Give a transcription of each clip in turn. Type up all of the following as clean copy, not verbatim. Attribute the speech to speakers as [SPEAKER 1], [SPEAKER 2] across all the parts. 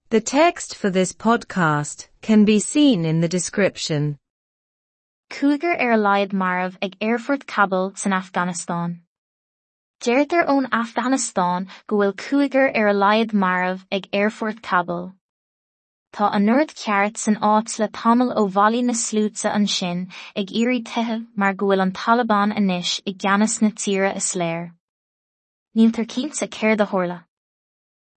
[SPEAKER 1] The text for this podcast can be seen in the description.
[SPEAKER 2] Cúigear ar a laghad marbh ag Aerfort Kabul san Afganastáin. Deirtear ón Afganastáin go bhfuil cúigear ar a laghad marbh ag Aerfort Kabul. Tá anord ceart san áit le tamall ó bhailigh na sluaite ansin ag iarraidh teitheadh mar go bhfuil an Taliban anois i gceannas na tíre is léir. Níltear cinnte céard a tharla.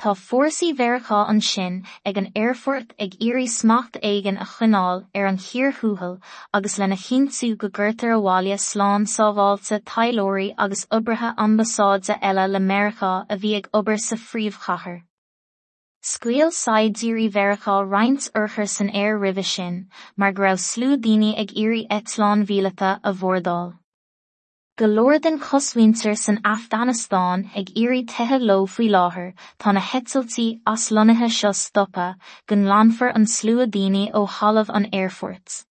[SPEAKER 2] Tá fórsaí Mheiriceá ansin ag an aerfort ag iarraidh smacht éigin a choinneáil ar an chíor thuathail agus lena chinntiú go gcuirtear abhaile slán sábháilte taidhleoirí agus oibrithe ambasáide eile le Meiriceá a bhí ag obair sa phríomhchathair. Scaoil saighdiúirí Mheiriceá roinnt urchar san aer roimhe sin mar go raibh slua daoine ag iarraidh eitleáin mhíleata a bhordáil. Go leor den chosmhuintir san Afganastáin ag iarraidh teitheadh leo faoi láthair, tá na heitiltí aslonnaithe seo stoptha go nglanfar an slua daoine ó thalamh an aerfoirt.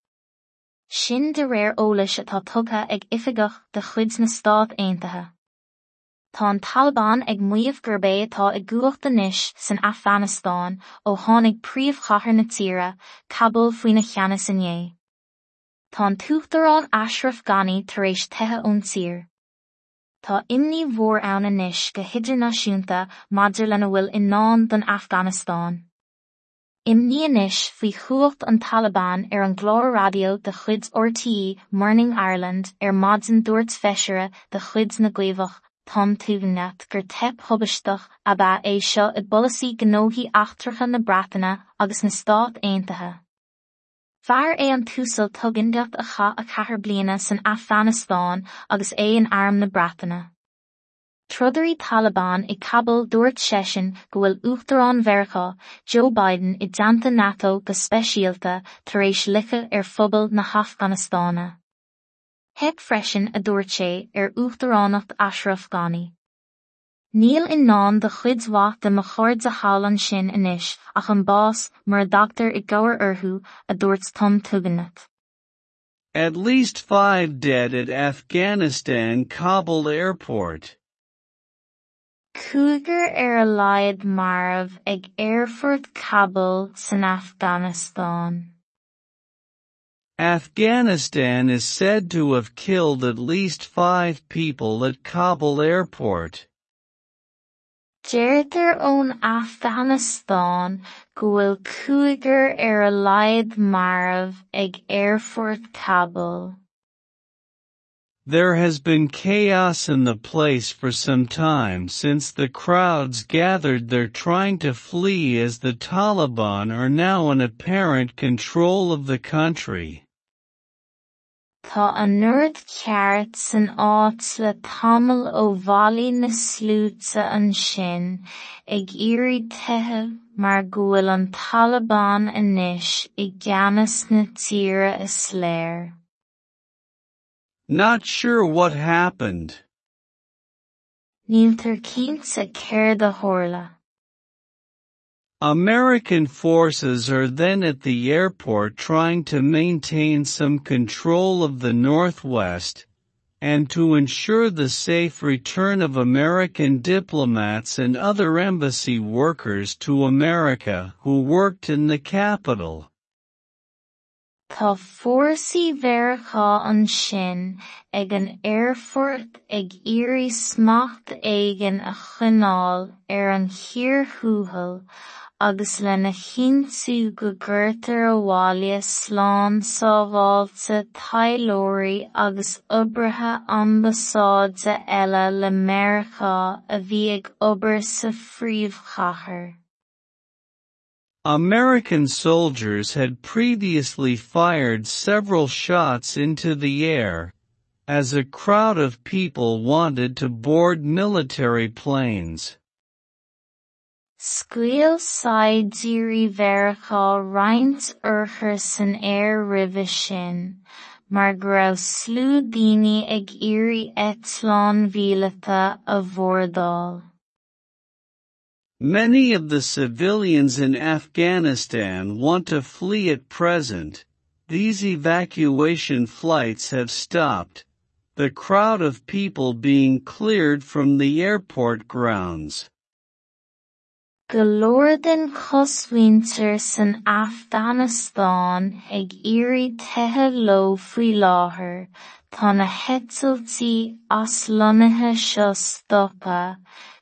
[SPEAKER 2] Sin de réir eolais atá tugtha ag oifigeach de chuid na Stát Aontaithe. Tá an Taliban ag maíomh gurb é atá i gcumhacht anois san Afganastáin ó tháinig príomhchathair na tíre, Kabul faoina cheannas inné. Tá an tUachtarán Ashraf Ghani tar éis teitheadh ón tír. Tá imní mhór ann anois go hidirnáisiúnta maidir lena bhfuil i ndán don Afganastáin. Imní anois faoi chumhacht an Taliban ar an gclár raidió de chuid RTÉ Morning Ireland ar maidin dúirt feisire de chuid na gCaomhach, Tom Tugendhat gur teip thubaisteach ab ea é seo i bpolasaí gnóthaí eachtracha na Breataine agus na Stát Aontaithe. Fear é an tUasal Tugendhat a chaith 4 bliana san Afganastáin agus é in Arm na Breataine. Trodairí Taliban i Kabul dúirt seisean go bhfuil Uachtarán Mheiriceá, Joe Biden i dteannta NATO go speisialta tar éis loiceadh ar phobal na hAfganastáine. Theip freisin a dúirt sé ar Uachtaránacht Ashraf Ghani. Níl i ndán do chuid mhaith de mo chairde thall ansin anois ach an bás mura dtagtar i gcabhair orthu, a dúirt Tom Tugendhat.
[SPEAKER 3] At least five dead at Afghanistan Kabul airport.
[SPEAKER 2] Cúigear ar a laghad marbh ag Aerfort Kabul san Afganastáin.
[SPEAKER 3] Afghanistan is said to have killed at least five people at Kabul airport.
[SPEAKER 2] Deirtear ón Afganastáin go bhfuil cúigear ar a laghad marbh ag Aerfort Kabul.
[SPEAKER 3] There has been chaos in the place for some time since the crowds gathered there trying to flee as the Taliban are now in apparent control of the country.
[SPEAKER 2] Tá anord ceart san áit le tamall ó bhailigh na sluaite ansin ag iarraidh teitheadh mar go bhfuil an Taliban anois i gceannas na tíre is léir.
[SPEAKER 3] Not sure what happened.
[SPEAKER 2] Níltear cinnte céard a tharla.
[SPEAKER 3] American forces are then at the airport trying to maintain some control of the Northwest, and to ensure the safe return of American diplomats and other embassy workers to America who worked in the capital.
[SPEAKER 2] Tá fórsaí Mheiriceá ansin ag an aerfort ag iarraidh smacht éigin a choinneáil ar an chíor thuathail agus lena chinntiú go gcuirtear abhaile slán sábháilte taidhleoirí agus oibrithe ambasáide eile le Meiriceá a bhí ag obair sa phríomhchathair.
[SPEAKER 3] American soldiers had previously fired several shots into the air, as a crowd of people wanted to board military planes.
[SPEAKER 2] Scaoil saighdiúirí Mheiriceá roinnt urchar san aer roimhe sin, mar go raibh slua daoine ag iarraidh eitleáin mhíleata a bhordáil.
[SPEAKER 3] Many of the civilians in Afghanistan want to flee at present. These evacuation flights have stopped, the crowd of people being cleared from the airport grounds.
[SPEAKER 2] Go leor den chosmhuintir san Afganastáin ag iarraidh teitheadh leo faoi láthair, tá na heitiltí aslonnaithe seo stoptha,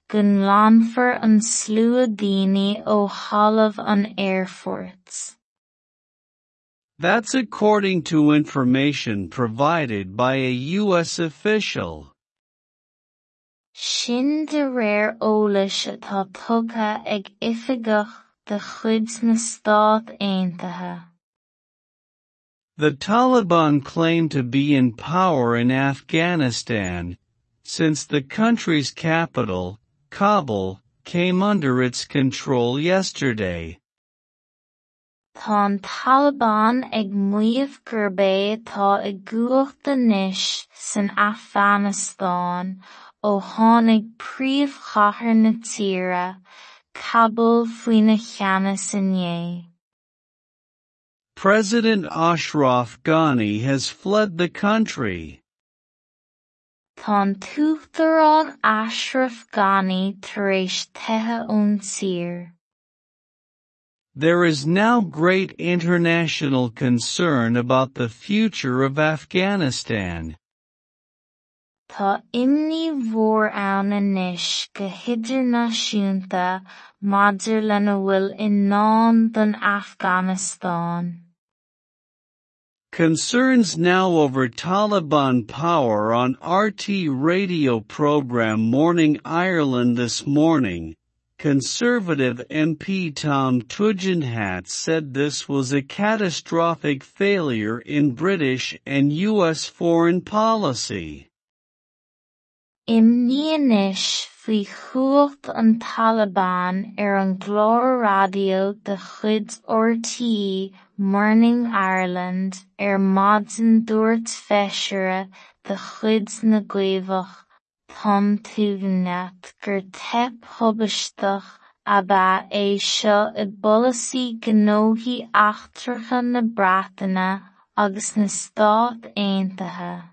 [SPEAKER 2] go nglanfar an slua daoine ó thalamh an aerfoirt.
[SPEAKER 3] That's according to information provided by a U.S. official.
[SPEAKER 2] Sin de réir eolais atá tugtha ag oifigeach de chuid na Stát Aontaithe.
[SPEAKER 3] The Taliban claim to be in power in Afghanistan, since the country's capital, Kabul, came under its control yesterday.
[SPEAKER 2] Tá an Taliban ag maíomh gurb é atá i gcumhacht anois san Afganastáin ó tháinig príomhchathair na tíre, Kabul faoina cheannas inné.
[SPEAKER 3] President Ashraf Ghani has fled the country.
[SPEAKER 2] Tá an tUachtarán Ashraf Ghani tar éis teitheadh ón tír.
[SPEAKER 3] There is now great international concern about the future of Afghanistan.
[SPEAKER 2] Tá imní mhór ann anois go hidirnáisiúnta maidir lena bhfuil i ndán don Afganastáin.
[SPEAKER 3] Concerns now over Taliban power on RTÉ radio program Morning Ireland this morning. Conservative MP Tom Tugendhat said this was a catastrophic failure in British and U.S. foreign policy.
[SPEAKER 2] Imní anois faoi chumhacht an Taliban ar an gclár raidió de chuid RTÉ Morning Ireland ar maidin dúirt feisire de chuid na gCaomhach, Tom Tugendhat gur teip thubaisteach ab ea é seo i bpolasaí gnóthaí eachtracha na Breataine agus na Stát Aontaithe.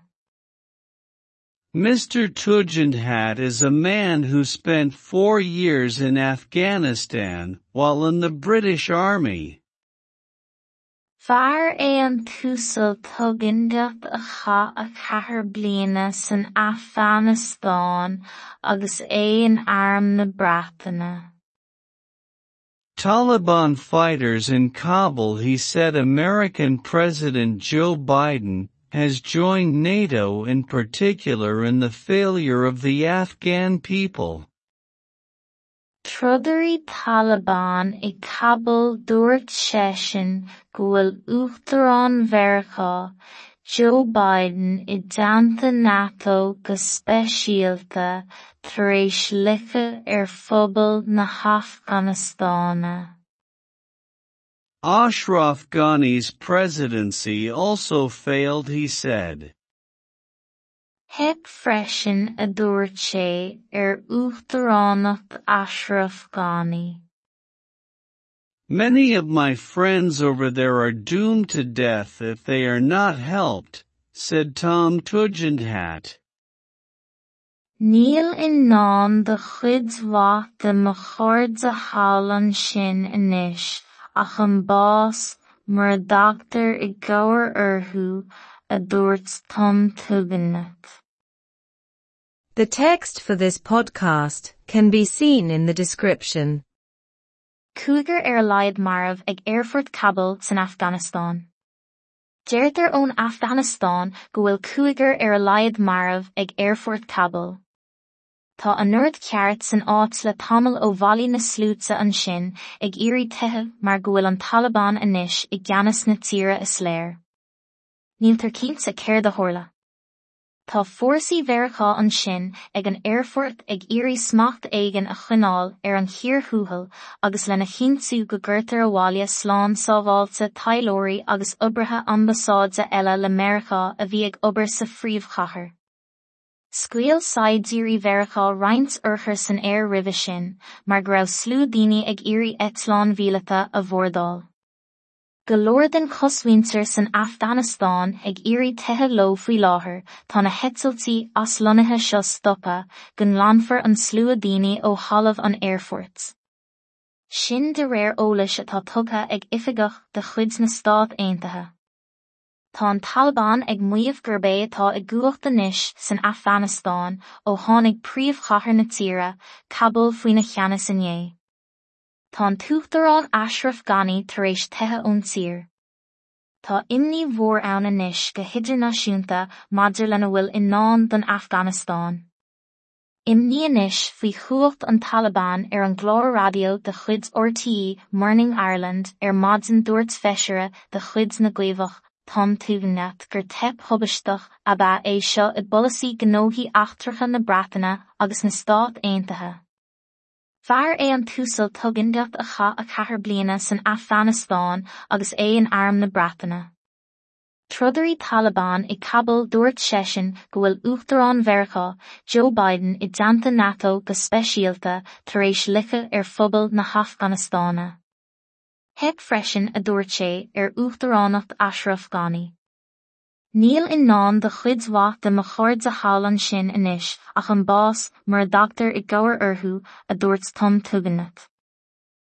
[SPEAKER 3] Mr. Tugendhat is a man who spent 4 years in Afghanistan while in the British Army.
[SPEAKER 2] Fear é an tUasal Tugendhat a chaith 4 bliana san Afganastáin agus é in Arm na Breataine.
[SPEAKER 3] Taliban fighters in Kabul. He said American President Joe Biden has joined NATO in particular in the failure of the Afghan people.
[SPEAKER 2] Trodairí Taliban i Kabul dúirt seisean go bhfuil Uachtarán Mheiriceá, Joe Biden i dteannta NATO go speisialta tar éis loiceadh ar phobal na hAfganastáine.
[SPEAKER 3] Ashraf Ghani's presidency also failed, he said.
[SPEAKER 2] Theip freisin a dúirt sé ar Uachtaránacht Ashraf Ghani.
[SPEAKER 3] Many of my friends over there are doomed to death if they are not helped, said Tom Tugendhat.
[SPEAKER 2] Níl i ndán do chuid mhaith de mo chairde thall ansin anois ach an bás mura dtagtar i gcabhair orthu, a dúirt Tom Tugendhat.
[SPEAKER 1] The text for this podcast can be seen in the description.
[SPEAKER 2] Cúigear ar a laghad marbh ag Aerfort Kabul san Afganastáin. Deirtear ón Afganastáin go bhfuil cúigear ar a laghad marbh ag Aerfort Kabul. Tá an ord ceart san áit le tamall ó bhailigh na sluaite ansin ag iarraidh teitheadh mar go bhfuil an Taliban anois i gceannas na tíre is léir. Níltear cinnte céard a tharla. Tá fórsaí Mheiriceá ansin ag an aerfort ag iarraidh smacht éigin a choinneáil ar an chíor thuathail agus lena chinntiú go gcuirtear abhaile slán sábháilte taidhleoirí agus oibrithe ambasáide eile le Meiriceá a bhí ag obair sa phríomhchathair. Scaoil saighdiúirí Mheiriceá roinnt urchar san aer roimhe sin, mar go raibh slua daoine ag iarraidh eitleáin mhíleata a bhordáil. Go leor den chosmhuintir san Afganastáin ag iarraidh teitheadh leo faoi láthair, tá na heitiltí aslonnaithe seo stoptha, go nglanfar an slua daoine ó thalamh an aerfoirt. Sin de réir eolais atá tugtha ag oifigeach de chuid na Stát Aontaithe. Tá an Taliban ag maíomh gurb é atá i gcumhacht anois san Afganastáin ó tháinig príomhchathair na tíre, Kabul faoina cheannas inné. Tá an tUachtarán Ashraf Ghani tar éis teitheadh ón tír. Tá imní mhór ann anois go hidirnáisiúnta maidir lena bhfuil i ndán don Afganastáin. Imní anois faoi chumhacht an Taliban ar an gclár raidió de chuid RTÉ Morning Ireland ar maidin dúirt feisire de chuid na gCaomhach, Tom Tugendhat gur teip thubaisteach ab ea é seo i bpolasaí gnóthaí eachtracha na Breataine agus na Stát Aontaithe. Fear é an tUasal Tugendhat a chaith 4 bliana san Afganastáin agus é in Arm na Breataine. Trodairí Taliban i Kabul dúirt seisean go bhfuil Uachtarán Mheiriceá, Joe Biden i dteannta NATO go speisialta tar éis loiceadh ar phobal na hAfganastáine. Theip freisin a dúirt sé ar Uachtaránacht Ashraf Ghani. Níl i ndán do chuid mhaith de mo chairde thall ansin anois ach an bás mura dtagtar i gcabhair orthu, a dúirt Tom Tugendhat.